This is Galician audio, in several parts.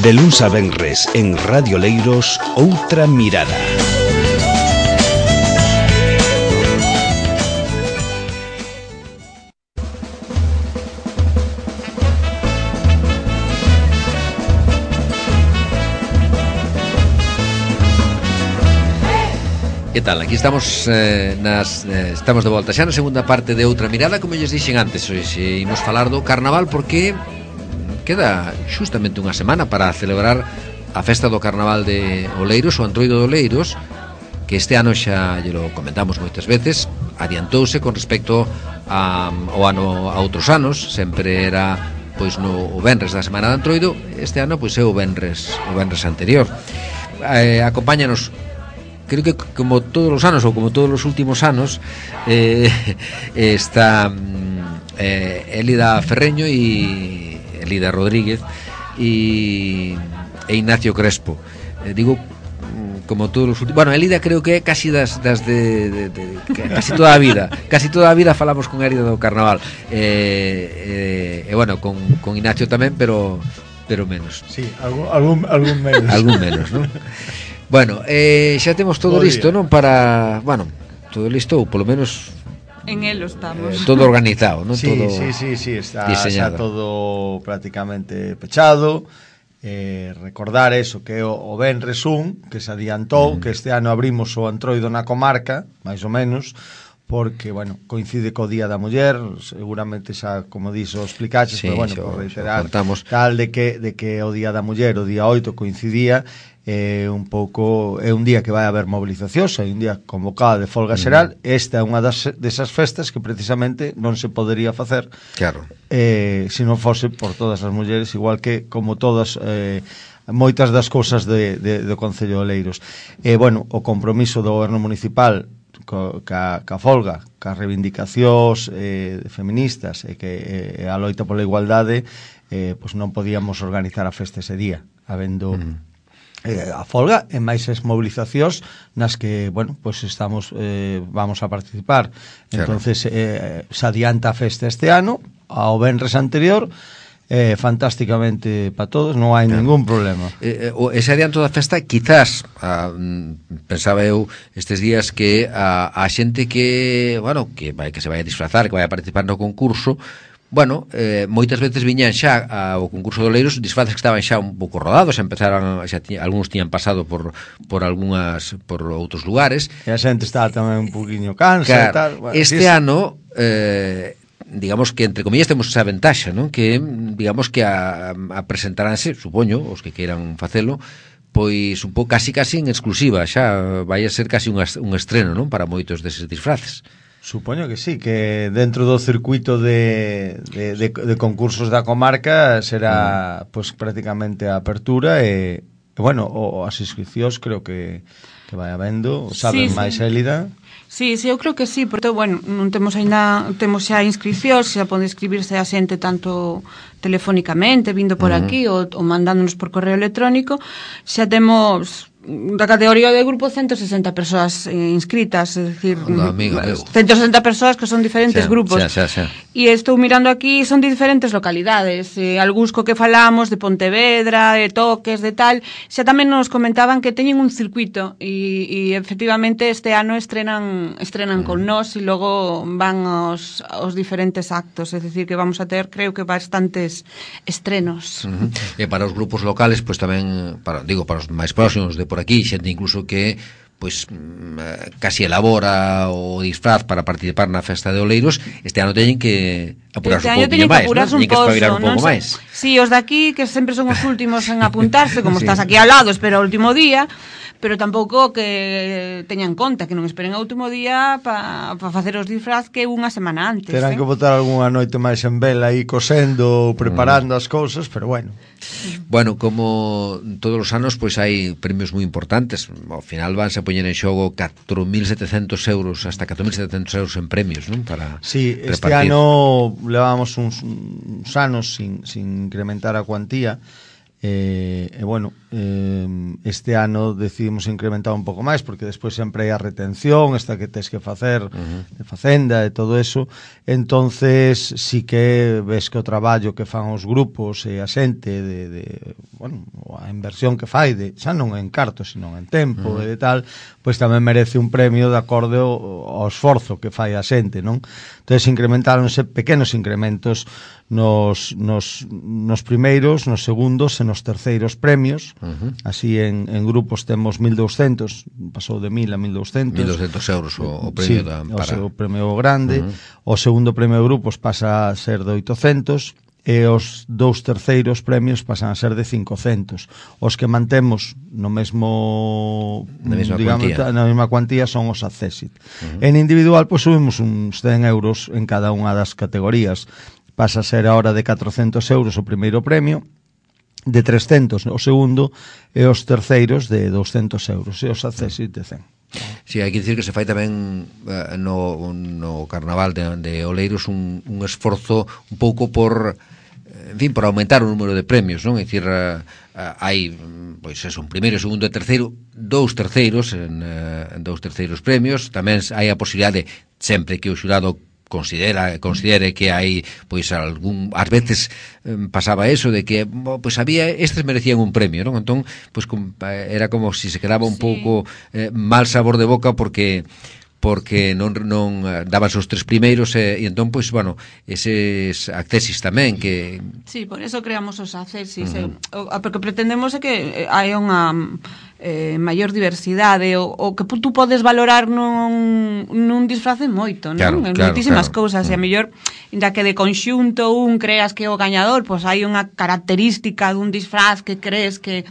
De luns a venres en Radio Oleiros, Outra Mirada. Que tal? Aquí estamos estamos de volta xa na segunda parte de Outra Mirada. Como lles dixen antes, hoxe imos falar do Carnaval, porque queda xustamente unha semana para celebrar a festa do Carnaval de Oleiros, o Antroido de Oleiros, que este ano xa lle lo comentamos moitas veces, adiantouse con respecto ao ano a outros anos. Sempre era pois no venres da semana de Antroido. Este ano pois é o venres anterior. Acompáñanos, creo que como todos os anos, ou como todos os últimos anos, está Elida Ferreño e Elida Rodríguez e Ignacio Crespo. Digo como todos os últimos. Bueno, Elida creo que é casi das de casi toda a vida falamos con Elida do Carnaval. E bueno, con Ignacio tamén, pero menos. Sí, algún menos. Algún menos, ¿no? Bueno, xa temos todo listo, non? Para, bueno, todo listo, ou polo menos en elo estamos. Todo organizado, non? Sí, Todo sí, está diseñado. Xa todo prácticamente pechado. Recordar eso, que o venres 1, que se adiantou, que este ano abrimos o Antroido na comarca, máis ou menos, porque, bueno, coincide co Día da Muller, seguramente xa, como dixo, explicaches, sí, pero, bueno, por reiterar, tal de que o Día da Muller, o día 8, coincidía, un pouco, é un día que vai haber movilizacións, é un día convocada de folga xeral. Esta é unha desas festas que precisamente non se podería facer, claro, se non fose por todas as mulleres, igual que como todas moitas das cousas do Concello de Oleiros. Bueno, o compromiso do goberno municipal ca folga, ca reivindicacións feministas e que a loita pola igualdade, pois non podíamos organizar a festa ese día, habendo a folga e máis as movilizacións nas que, bueno, pois estamos vamos a participar. Claro. Entonces se adianta a festa este ano ao venres anterior, fantásticamente para todos, non hai ningún problema. Ese adianto da festa, quizás pensaba eu estes días que a xente que, bueno, que se vai a disfrazar, que vai a participar no concurso, bueno, moitas veces viñan xa ao concurso de Oleiros disfraces que estaban xa un pouco rodados, algúns tiñan pasado por outros lugares, e a xente estaba tamén un poquinho cansa, claro, e tal. Bueno, este ano digamos que entre comillas temos esa ventaxa, non? Que digamos que a presentaránse, supoño, os que queiran facelo, pois un pouco casi en exclusiva, xa vai a ser casi un estreno, non? Para moitos deses disfraces. Supoño que sí, que dentro do circuito de concursos da comarca será pois prácticamente a apertura e bueno, as inscripcións creo que vai habendo, saben máis Élida. Sí, eu creo que sí, porque, bueno, non temos xa inscripcións, xa pode inscribirse a xente tanto telefónicamente, vindo por aquí ou mandándonos por correo electrónico. Xa temos da categoría de grupo 160 persoas inscritas, é dicir, 160 persoas que son diferentes grupos. E estou mirando aquí, son de diferentes localidades, algúns co que falamos de Pontevedra, de Toques, de tal. Xa tamén nos comentaban que teñen un circuito e efectivamente este ano estrenan con nós e logo van aos diferentes actos, é dicir que vamos a ter, creo que bastantes estrenos. E para os grupos locales, pois tamén, para os máis próximos de por aquí, xente incluso que pois casi elabora o disfraz para participar na festa de Oleiros, este ano teñen que apurarse un pouquinho máis, teñen que espabilar un pouco máis. Si, os daqui, que sempre son os últimos en apuntarse, como estás aquí ao lado, espera o último día, pero tampouco que teñan conta que non esperen o último día para facer os disfraz que unha semana antes. Terán que botar algunha noite máis en vela aí cosendo, preparando as cousas, pero bueno. Bueno, como todos os anos, pois hai premios moi importantes. Ao final vanse a poñer en xogo 4.700 euros, hasta 4.700 euros en premios, non? Para este repartir. Ano levábamos uns anos sin incrementar a cuantía. bueno, este ano decidimos incrementar un pouco máis porque despois sempre hai a retención esta que tes que facer de facenda e todo eso, entonces sí que ves que o traballo que fan os grupos e a xente bueno, a inversión que fai xa non en carto, sino en tempo e de tal, pois tamén merece un premio de acorde ao esforzo que fai a xente, non? Entonces incrementáronse pequenos incrementos nos primeiros, nos segundos e nos terceiros premios. Así en grupos temos 1.200, pasou de 1.000 a 1.200. 1.200 euros o premio sí, o premio grande. O segundo premio de grupos pasa a ser de 800 e os 2 terceiros premios pasan a ser de 500. Os que mantemos no mesmo na mesma cuantía son os Accessit. En individual, pois subimos uns 100 euros en cada unha das categorías. Pasa a ser ahora de 400 euros o primeiro premio, de 300 o segundo, e os terceiros de 200 euros, e os Accessit de 100. Sí, hai que dicir que se fai tamén no Carnaval de Oleiros un esforzo un pouco por, en fin, por aumentar o número de premios, non? É dicir, hai, pois eso, un primeiro, segundo e terceiro, 2 terceiros en 2 terceiros premios. Tamén hai a posibilidade, sempre que o xurado considere que hai, pois, ás veces pasaba eso de que, pois, había, estes merecían un premio, non? Entón, pois, era como si se quedaba un pouco mal sabor de boca porque non daban os 3 primeiros e entón, pois, bueno, eses Accessis tamén que... Sí, por eso creamos os Accessis, porque pretendemos é que hai unha maior diversidade, o que tú podes valorar nun disfrace moito, non? Moitísimas cousas, e a mellor, inda que de conxunto creas que o gañador, pois hai unha característica dun disfraz que crees que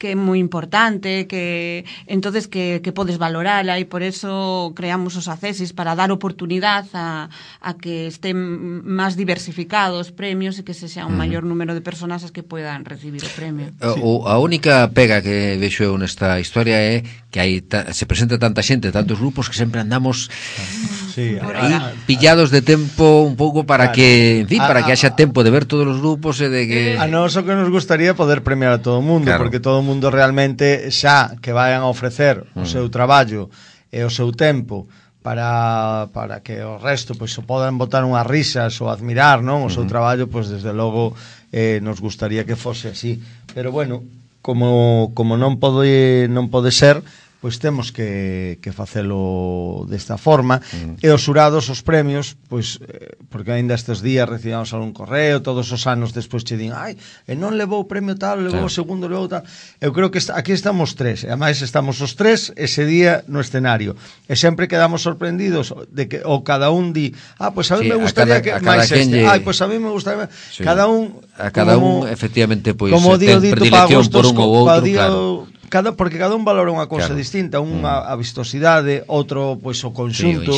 é moi importante, que entonces que podes valorala, e por eso creamos os Accessis para dar oportunidade a que estén máis diversificados premios e que se sea un maior número de persoas as que poidan recibir o premio. A única pega que vexo eu nesta historia é que se presenta tanta xente, tantos grupos, que sempre andamos pillados de tempo un pouco para que, en fin, para que haxa tempo de ver todos os grupos e de que... A nós o que nos gustaría poder premiar a todo o mundo, porque todo o mundo realmente xa que vayan a ofrecer o seu traballo e o seu tempo para que o resto pois o podan botar unhas risas ou admirar, non, o seu traballo, pois desde logo nos gustaría que fose así. Pero bueno, como non pode ser, pois temos que facelo desta forma, e os xurados, os premios, pois porque aínda estes días recibamos algún correo, todos os anos despois che din, non levou o premio tal, levou o segundo, levou tal. Eu creo que aquí estamos 3, e ademais estamos os 3 ese día no escenario, e sempre quedamos sorprendidos de que cada un di, pois a mí me gustaría que máis este, pois a mí me gustaría, cada un efectivamente, pois ten predilección por un ou outro, claro. Porque cada un valora unha cousa distinta, unha a vistosidade, outro pois o conxunto,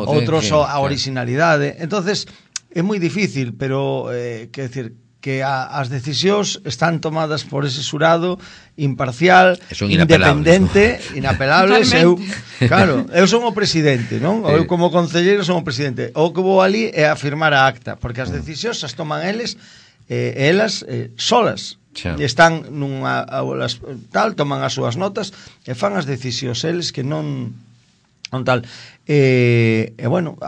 outros a originalidade. Entonces é moi difícil, pero quer decir que as decisións están tomadas por ese xurado imparcial, independente, inapelables. Eu son o presidente, non? Eu como concelleiro son o presidente. O que vou ali é a firmar a acta, porque as decisións as toman elas solas. E están nunha aula tal, toman as súas notas e fan as decisións eles que non tal. E bueno,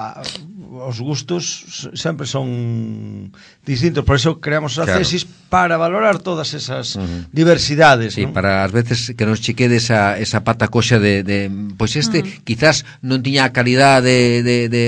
os gustos sempre son distintos, por eso creamos os Accessis para valorar todas esas diversidades, sí, ¿no? Para as veces que nos chequede esa pata coxa de pois quizás non tiña a calidade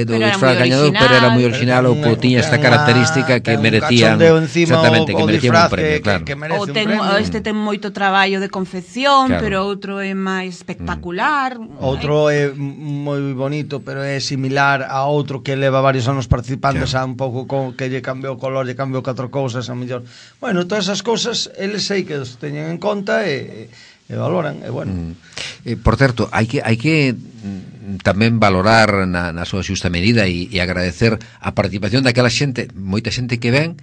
do disfraz gañador, pero era moi original, ou tiña esta característica que merecían, exactamente, que merecían un premio, claro. Ou este ten moito traballo de confección, pero outro é máis espectacular. Outro é moi bonito, pero é similar a outro que leva varios anos participando, xa un pouco que lle cambiou o color, lle cambiou 4 cousas, a mellor. Bueno, todas esas cousas, eles sei que os teñen en conta e valoran, e bueno. Por certo, hai que tamén valorar na súa xusta medida e agradecer a participación daquela xente, moita xente que ven,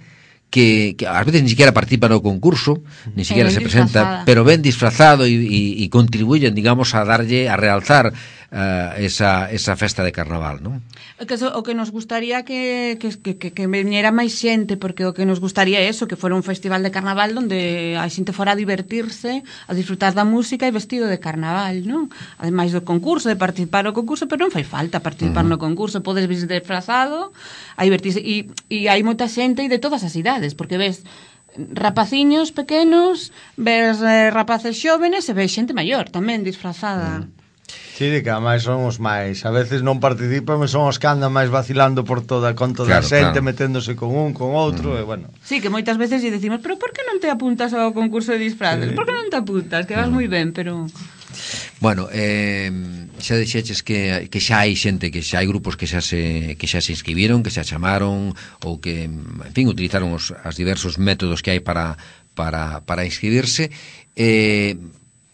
que ás veces ni siquiera participa no concurso, ni siquiera se presenta, pero ven disfrazado e contribuyen, digamos, a darlle, a realzar esa festa de carnaval, non? O que nos gustaría que veniera máis xente, porque o que nos gustaría é eso, que fora un festival de carnaval onde a xente fora a divertirse, a disfrutar da música e vestido de carnaval, non? Ademais do concurso, de participar no concurso, pero non fai falta participar no concurso, podes vir disfrazado a divertirse, e hai moita xente e de todas as idades, porque ves rapaciños pequenos, ves rapaces xóvenes e ves xente maior tamén disfrazada. Sí, que ademais son os máis, a veces non participan, mas son os que andan máis vacilando por toda a xente, meténdose con un, con outro, e bueno. Sí, que moitas veces lle decimos, pero por que non te apuntas ao concurso de disfraces? Por que non te apuntas? Que vas moi ben, pero... Bueno, xa dixeches que xa hai xente, que xa hai grupos que xa se inscribiron, que xa chamaron, ou que, en fin, utilizaron os diversos métodos que hai para inscribirse.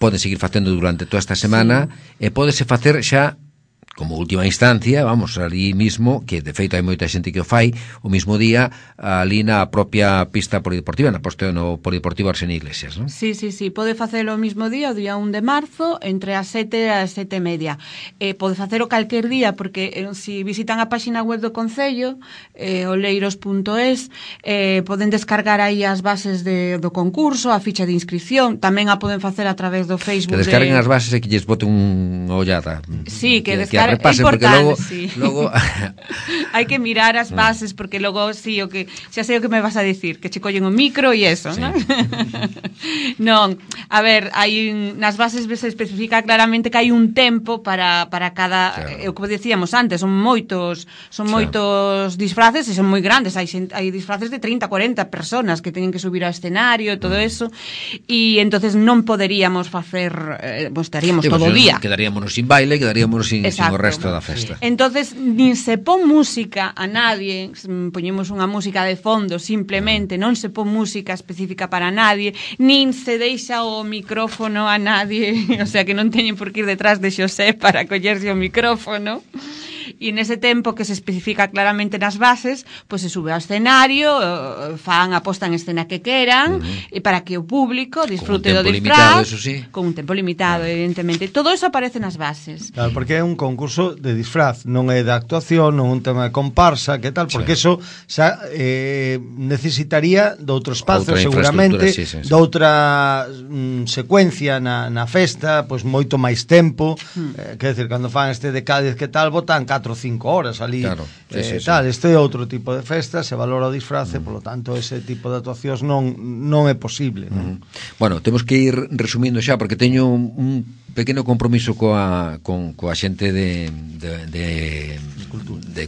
Pode seguir facendo durante toda esta semana, e pódese facer xa como última instancia, vamos, ali mismo, que de feito hai moita xente que o fai, o mismo día, ali na propia pista polideportiva, no Polideportivo Arsene Iglesias, non? Sí, pode facelo o mismo día, o día 1 de marzo, entre as 7 e as 7:30. Pode facelo calquer día, porque se visitan a página web do Concello, oleiros.es, poden descargar aí as bases do concurso, a ficha de inscripción, tamén a poden facer a través do Facebook. Que descarguen as bases e que lles boten unha ollada. Sí, que descarguen. Repasen, porque logo hai que mirar as bases, porque logo sí, o que xa sei o que me vas a dicir, que che collen o micro e eso, sí. Non? Non, a ver, hai nas bases se especifica claramente que hai un tempo para cada, claro. O que decíamos antes, son moitos disfraces e son moi grandes, hai disfraces de 30, 40 personas que teñen que subir ao escenario e todo eso, e entonces non poderíamos facer, estaríamos todo o día. Quedaríamos sin baile, quedaríamos sin resto da festa. Entonces, nin se pon música a nadie, poñemos unha música de fondo, simplemente, non se pon música específica para nadie, nin se deixa o micrófono a nadie, o sea, que non teñen por que ir detrás de Xosé para collerse o micrófono. E nese tempo que se especifica claramente nas bases, pois se sube ao escenario, fan a posta en escena que queran, e para que o público disfrute do disfraz, con un tempo limitado, evidentemente. Todo eso aparece nas bases. Claro, porque é un concurso de disfraz, non é de actuación, non é un tema de comparsa, que tal, porque eso xa necesitaría de outro espazo, seguramente, de outra secuencia na festa, pois moito máis tempo, quer dizer, cando fan este de Cádiz, que tal, botan 4 ou 5 horas ali, claro, tal, este é outro tipo de festa, se valora o disfrace, polo tanto ese tipo de actuacións non é posible, non? Bueno, temos que ir resumindo xa, porque teño un pequeno compromiso coa xente de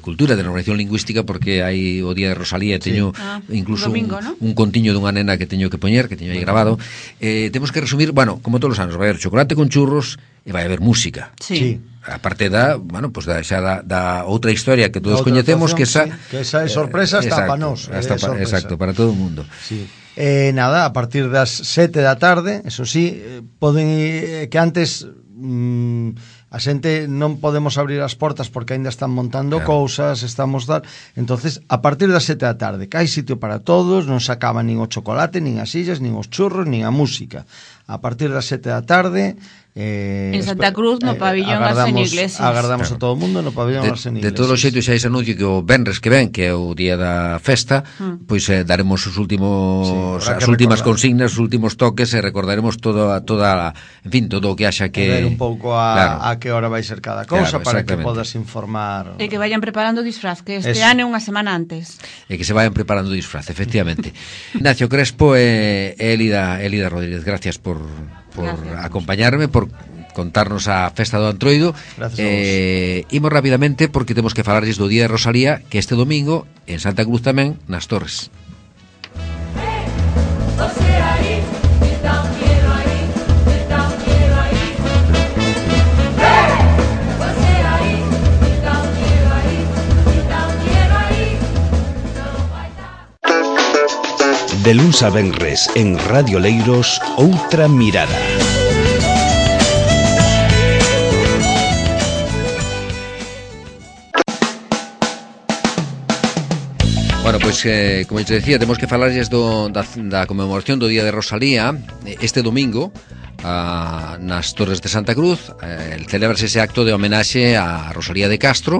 cultura, de normalización lingüística, porque hai o día de Rosalía, teño incluso domingo, un contiño dunha nena que teño que poñer, que teño aí grabado. Temos que resumir, bueno, como todos os anos, vai haber chocolate con churros e vai haber música. Sí. A parte da outra historia que todos coñecemos, que esa é sorpresa hasta para nós. Exacto, para todo o mundo. Sí. Nada, a partir das 7 da tarde, eso sí, poden que antes a xente non podemos abrir as portas porque aínda están montando cousas, estamos dar. Entonces, a partir das 7 da tarde, que hai sitio para todos, non se acaba nin o chocolate, nin as sillas, nin os churros, nin a música. A partir das 7 da tarde, en Santa Cruz, no pabillón Arsene Iglesias. Agardamos a todo o mundo no pabillón Arsene Iglesias. De todos os xeitos xa ese anuncio que o venres que ven, que é o día da festa, pois daremos as últimas consignas, os últimos toques, e recordaremos toda en fin, todo o que haxa que ver un pouco a que hora vai ser cada cousa, para que podas informar. E que vayan preparando o disfraz, que este ano é unha semana antes. E que se vayan preparando o disfraz, efectivamente. Ignacio Crespo e Elida Rodríguez, gracias por acompañarme, por contarnos a festa do Antroido. Imos rapidamente porque temos que falarlles do día de Rosalía, que este domingo en Santa Cruz tamén, nas Torres. De luns a venres en Radio Leiros, Outra Mirada. Bueno, pois, como te decía, temos que falarlles da conmemoración do Día de Rosalía este domingo nas Torres de Santa Cruz. Celébrase ese acto de homenaxe a Rosalía de Castro,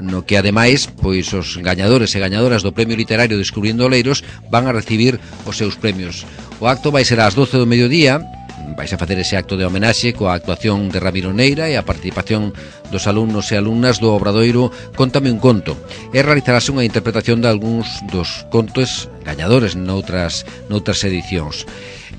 no que ademais pois os gañadores e gañadoras do Premio Literario Descubrindo Oleiros van a recibir os seus premios. O acto vai ser ás 12 do mediodía. Vais a facer ese acto de homenaxe coa actuación de Ramiro Neira e a participación dos alumnos e alumnas do obradoiro Cóntame un conto, e realizarase unha interpretación de algúns dos contos gañadores noutras edicións.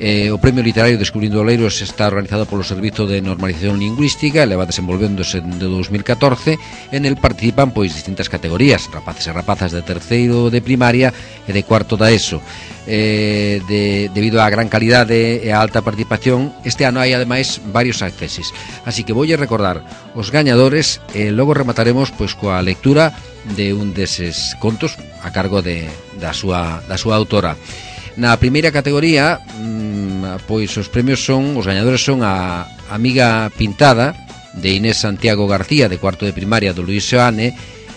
O Premio Literario Descubrindo Oleiros está organizado polo Servizo de Normalización Lingüística e leva desenvolvéndose de 2014. En el participan pois distintas categorías, rapaces e rapazas de terceiro de primaria e de cuarto da ESO. Debido á gran calidade e á alta participación, este ano hai ademais varios acceses. Así que voulle recordar os gañadores e logo remataremos pois coa lectura de un deses contos a cargo da súa autora. Na primeira categoría, pois os premios os gañadores son a Amiga Pintada, de Inés Santiago García, de cuarto de primaria, do Luís Seoane,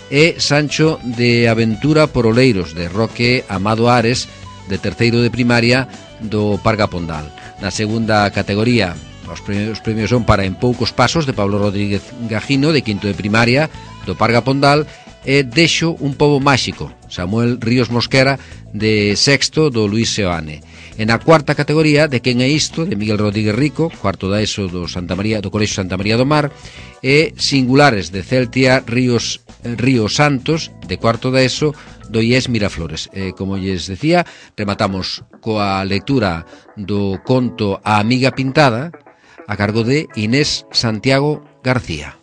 e Sancho de Aventura por Oleiros, de Roque Amado Ares, de terceiro de primaria, do Parga Pondal. Na segunda categoría, os premios son para En poucos pasos, de Pablo Rodríguez Gajino, de quinto de primaria, do Parga Pondal, e Deixo un pobo máxico, Samuel Ríos Mosquera, de sexto, do Luís Seoane. En a cuarta categoría, De quen é isto, de Miguel Rodríguez Rico, cuarto da ESO do Colexio Santa María do Mar, e Singulares, de Celtia Ríos Santos, de cuarto da ESO, do IES Miraflores. Como lles decía, rematamos coa lectura do conto A Amiga Pintada, a cargo de Inés Santiago García.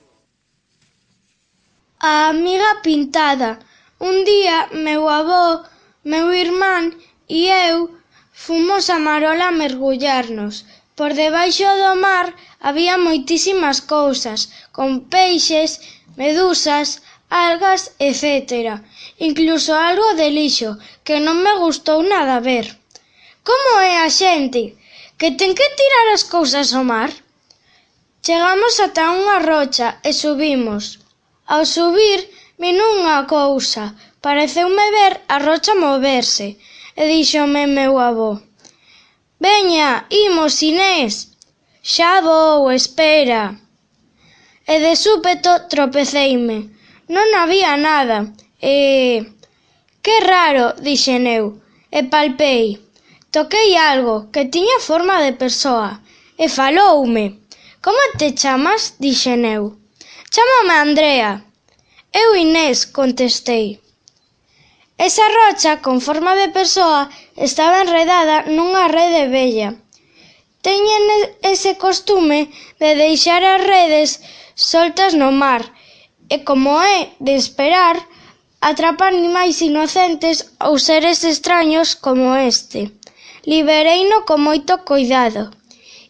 A amiga pintada. Un día, meu avó, meu irmán e eu fomos a Marola a mergullarnos. Por debaixo do mar había moitísimas cousas, con peixes, medusas, algas, etc. Incluso algo de lixo, que non me gustou nada ver. Como é a xente? Que ten que tirar as cousas ao mar? Chegamos ata unha rocha e subimos. Ao subir, vin unha cousa. Pareceume ver a rocha moverse. E díxome meu avó: «Veña, imos, Inés». «Xa vou, espera». E de súpeto tropeceime. Non había nada. «Que raro», dixen eu, e palpei. Toquei algo que tiña forma de persoa, e faloume. «Como te chamas?», dixen eu. «Chámame Andrea». «Eu Inés», contestei. Esa rocha con forma de persoa estaba enredada nunha rede vella. Teñen ese costume de deixar as redes soltas no mar e, como é de esperar, atrapa animais inocentes ou seres extraños como este. Libereino con moito cuidado.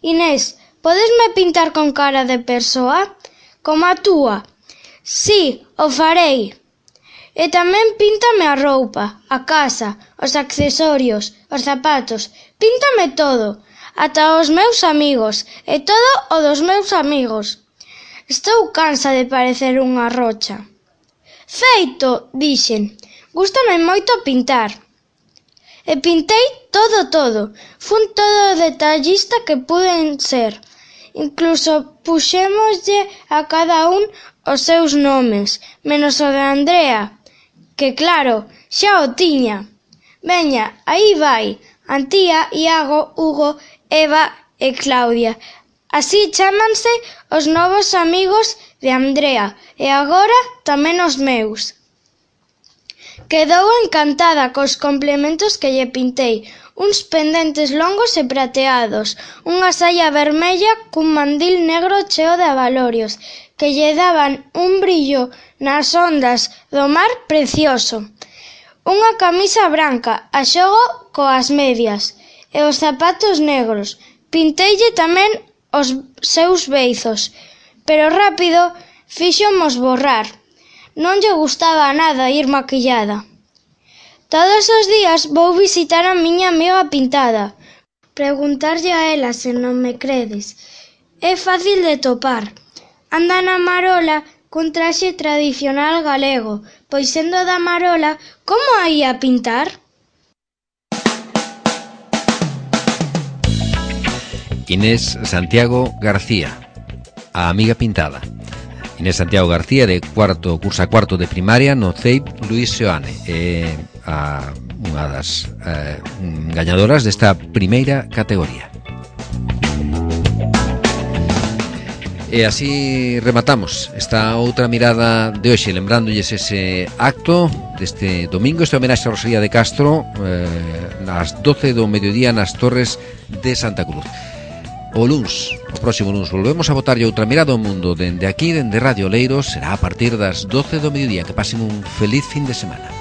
«Inés, podesme pintar con cara de persoa? Como a túa?» «Sí, o farei». «E tamén píntame a roupa, a casa, os accesorios, os zapatos, píntame todo, ata os meus amigos, e todo o dos meus amigos. Estou cansa de parecer unha rocha». «Feito», dixen, «gústame moito pintar». E pintei todo. Fun todo detallista que puden ser. Incluso puxémoslle a cada un os seus nomes, menos o de Andrea, que claro, xa o tiña. Veña, aí vai, Antía, Iago, Hugo, Eva e Claudia. Así chámanse os novos amigos de Andrea, e agora tamén os meus. Quedou encantada cos complementos que lle pintei, uns pendentes longos e prateados, unha saia vermella cun mandil negro cheo de abalorios, que lle daban un brillo nas ondas do mar precioso. Unha camisa branca, a xogo coas medias, e os zapatos negros. Pinteille tamén os seus beizos, pero rápido fíxomos borrar. Non lle gustaba nada ir maquillada. Todos os días vou visitar a miña amiga pintada, preguntarlle a ela se non me credes. É fácil de topar. Anda na Marola cun traxe tradicional galego, pois sendo da Marola, como a ia pintar? Inés Santiago García, a amiga pintada. Inés Santiago García cursa cuarto de primaria no CEIP Luis Seoane, unha das gañadoras desta primeira categoría. E así rematamos esta outra mirada de hoxe, lembrándoles ese acto deste domingo, este homenaxe a Rosalía de Castro, nas 12 do mediodía nas Torres de Santa Cruz. O próximo luns volvemos a botarlle outra mirada ao mundo dende aquí, dende Radio Leiros. Será a partir das 12 do mediodía. Que pasen un feliz fin de semana.